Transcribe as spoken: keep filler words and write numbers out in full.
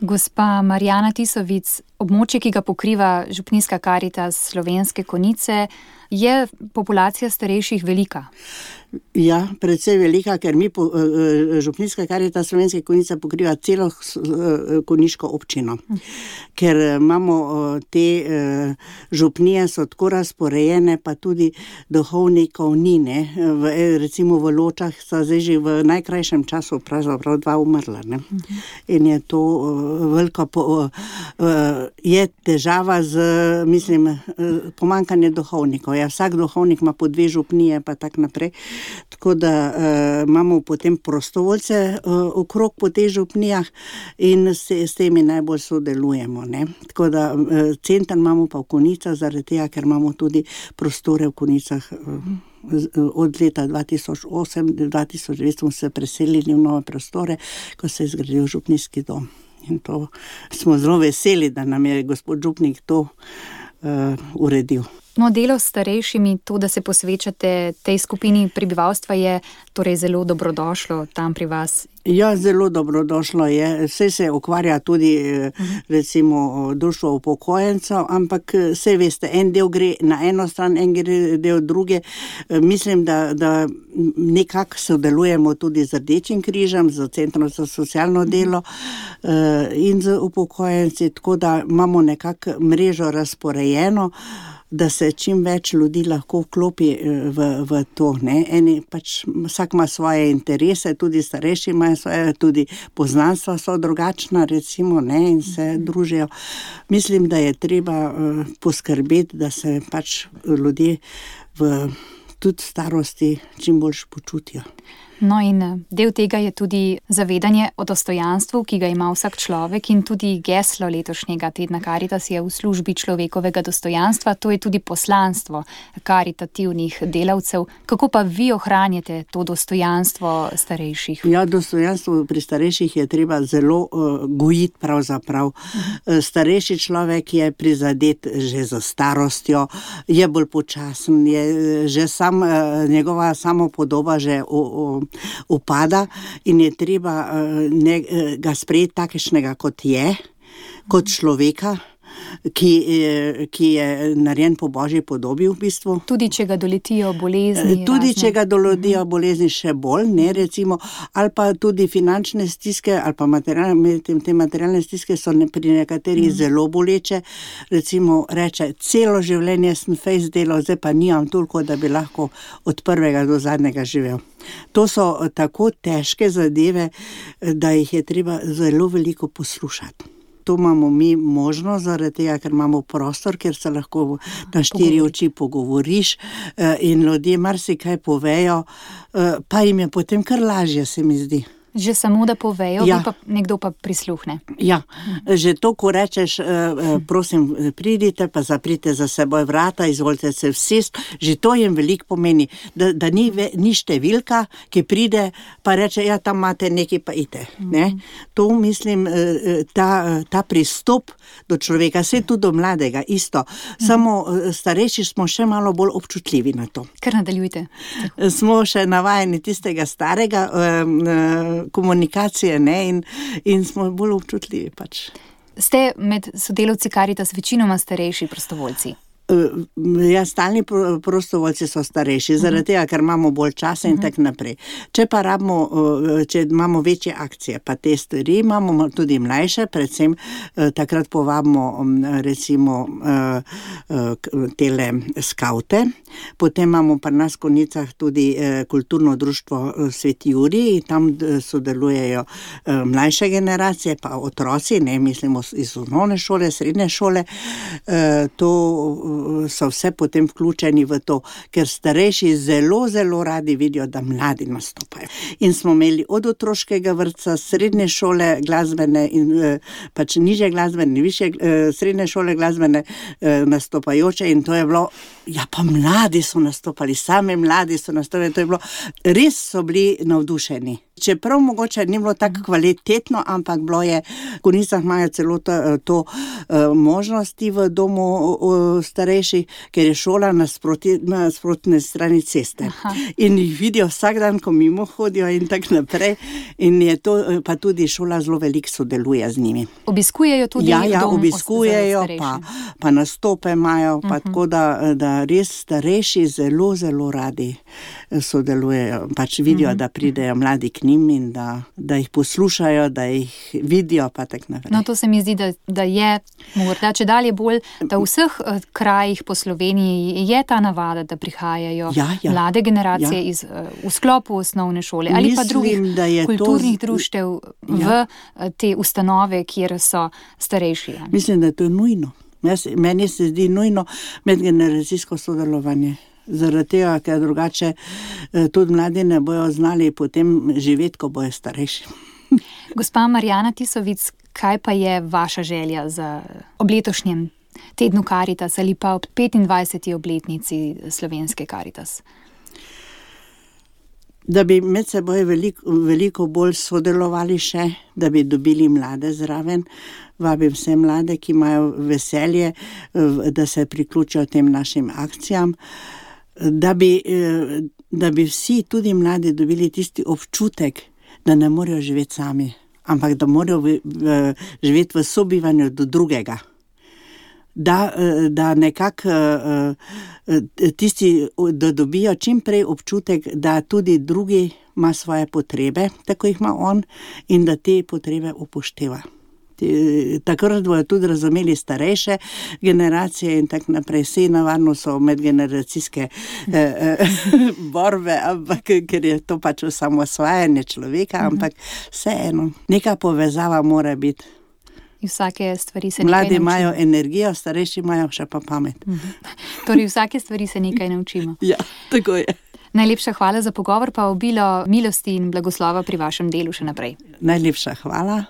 Gospa Marjana Tisovic, območje, ki ga pokriva Župnijska Karitas Slovenske Konjice, je populacija starejših velika? Ja, precej velika, ker mi po, Župnijska Karitas Slovenske Konjice pokriva celo konjiško občino. Ker imamo te župnije so tako razporejene, pa tudi duhovnikov ni, ne. V, recimo v Ločah so zdaj že v najkrajšem času pravzaprav dva umrla, ne. In je to veliko po, je težava z, mislim, pomanjkanje duhovnikov. Ja, vsak duhovnik ima po dve župnije, pa tak naprej. Tako da uh, imamo potem prostovoljce uh, okrog po teh župnijah in s, s temi najbolj sodelujemo, ne. Tako da uh, center imamo pa v Konjicah, zaradi tega, ker imamo tudi prostore v Konjicah. Uh, od leta dva tisoč osem do dva tisoč devet smo se preselili v nove prostore, ko se je zgradil župnijski dom. In to smo zelo veseli, da nam je gospod župnik to uh, uredil. No, delo s starejšimi, to, da se posvečate tej skupini prebivalstva, je torej zelo dobrodošlo tam pri vas. Ja, zelo dobrodošlo je. Vse se ukvarja tudi recimo društvo upokojencev, ampak vse veste, en del gre na eno stran, en gre del druge. Mislim, da, da nekako sodelujemo tudi z Rdečim križem, z Centrom za socialno delo in z upokojenci, tako da imamo nekako mrežo razporejeno, da se čim več ljudi lahko vklopi v, v to, ne. Eni pač, vsak ima svoje interese, tudi starejši imajo svoje, tudi poznanstva so drugačna, recimo, ne, in se družijo. Mislim, da je treba uh, poskrbeti, da se pač ljudje v tudi starosti čim boljš počutijo. No in del tega je tudi zavedanje o dostojanstvu, ki ga ima vsak človek, in tudi geslo letošnjega tedna Karitas je v službi človekovega dostojanstva. To je tudi poslanstvo karitativnih delavcev. Kako pa vi ohranjate to dostojanstvo starejših? Ja, dostojanstvo pri starejših je treba zelo uh, gojiti pravzaprav. Uh-huh. Starejši človek je prizadet že za starostjo, je bolj počasen, je že sam, uh, njegova samopodoba že o, o, upada in je treba ne, ga sprejeti takšnega, kot je, kot človeka, ki, ki je narejen po Božji podobi v bistvu. Tudi če ga doletijo bolezni. Tudi razne. če ga doletijo bolezni še bolj, ne, recimo, ali pa tudi finančne stiske, ali pa materialne, te materialne stiske so ne, pri nekaterih mm. zelo boleče. Recimo reče, celo življenje sem fejst delal, zdaj pa nimam toliko, da bi lahko od prvega do zadnjega živel. To so tako težke zadeve, da jih je treba zelo veliko poslušati. To imamo mi možnost, zaradi tega, ker imamo prostor, kjer se lahko na štiri oči pogovoriš in ljudje marsikaj povejo, pa jim je potem kar lažje, se mi zdi. Že samo, da povejo, ja. pa nekdo pa prisluhne. Ja, že to, ko rečeš, prosim, pridite, pa zaprite za seboj vrata, izvolite se vsest, že to jim veliko pomeni, da, da ni, ve, ni številka, ki pride, pa reče, ja, tam imate nekaj, pa ite. Ne? To, mislim, ta, ta pristop do človeka, vse tudi do mladega, isto. Samo starejši smo še malo bolj občutljivi na to. Kar nadaljujte. Smo še navajeni tistega starega komunikacije, ne, in, in smo bolj občutljivi pač. Ste med sodelavci Karitas večinoma starejši prostovoljci? Ja, stalni prostovoljci so starejši, zaradi tega, ker imamo bolj časa in tak naprej. Če pa rabimo, če imamo večje akcije, pa te stvari, imamo tudi mlajše, predvsem takrat povabimo recimo tele skavte, potem imamo pri nas v Konjicah tudi kulturno društvo Sveti Jurij, tam sodelujejo mlajše generacije, pa otroci, ne, mislimo iz osnovne šole, srednje šole, to so vse potem vključeni v to, ker starejši zelo, zelo radi vidijo, da mladi nastopajo. In smo imeli od otroškega vrtca, srednje šole glasbene in pač nižje glasbene, više srednje šole glasbene nastopajoče in to je bilo, ja pa mladi so nastopali, same mladi so nastopali, to je bilo, res so bili navdušeni. Čeprav mogoče ni bilo tako kvalitetno, ampak bilo je, v Konjicah imajo celo to, to uh, možnosti v domu uh, starejših, ker je šola na nasprotni strani ceste. Aha. In jih vidijo vsak dan, ko mimo hodijo in tako naprej. In je to, pa tudi šola zelo veliko sodeluje z njimi. Obiskujejo tudi ja, ja, dom obiskujejo, pa, pa nastope imajo, pa uh-huh. tako da, da res starejši zelo, zelo radi sodelujejo. Pač vidijo, uh-huh. da pridejo mladi k njim in da, da jih poslušajo, da jih vidijo, pa tako naprej. No, to se mi zdi, da, da je morda če dalje bolj, da v vseh krajih po Sloveniji je ta navada, da prihajajo ja, ja. mlade generacije ja. iz, v sklopu osnovne šole ali Mislim, pa drugih kulturnih to... društev ja. v te ustanove, kjer so starejši. Mislim, da to je nujno. Meni se zdi nujno medgeneracijsko sodelovanje. Zaradi tega, ker drugače tudi mladi ne bojo znali potem živeti, ko bojo starejši. Gospa Marjana Tisovic, kaj pa je vaša želja za ob letošnjem tednu Karitas ali pa ob petindvajseti obletnici Slovenske Karitas? Da bi med seboj veliko, veliko bolj sodelovali še, da bi dobili mlade zraven. Vabim vse mlade, ki imajo veselje, da se priključijo tem našim akcijam. Da bi, da bi vsi, tudi mladi, dobili tisti občutek, da ne morejo živeti sami, ampak da morajo v, v, živeti v sobivanju do drugega. Da, da nekako tisti, da dobijo čim prej občutek, da tudi drugi ima svoje potrebe, tako jih ima on, in da te potrebe upošteva. Takrat bojo tudi razumeli starejše generacije in tako naprej. Vse navadno so medgeneracijske eh, eh, borbe, ampak ker je to pač osamosvajanje človeka, ampak vseeno, neka povezava mora biti. Vsake stvari se Mladi imajo energijo, starejši imajo še pa pamet. Torej vsake stvari se nekaj naučimo. Ja, tako je. Najlepša hvala za pogovor, pa obilo milosti in blagoslova pri vašem delu še naprej. Najlepša hvala.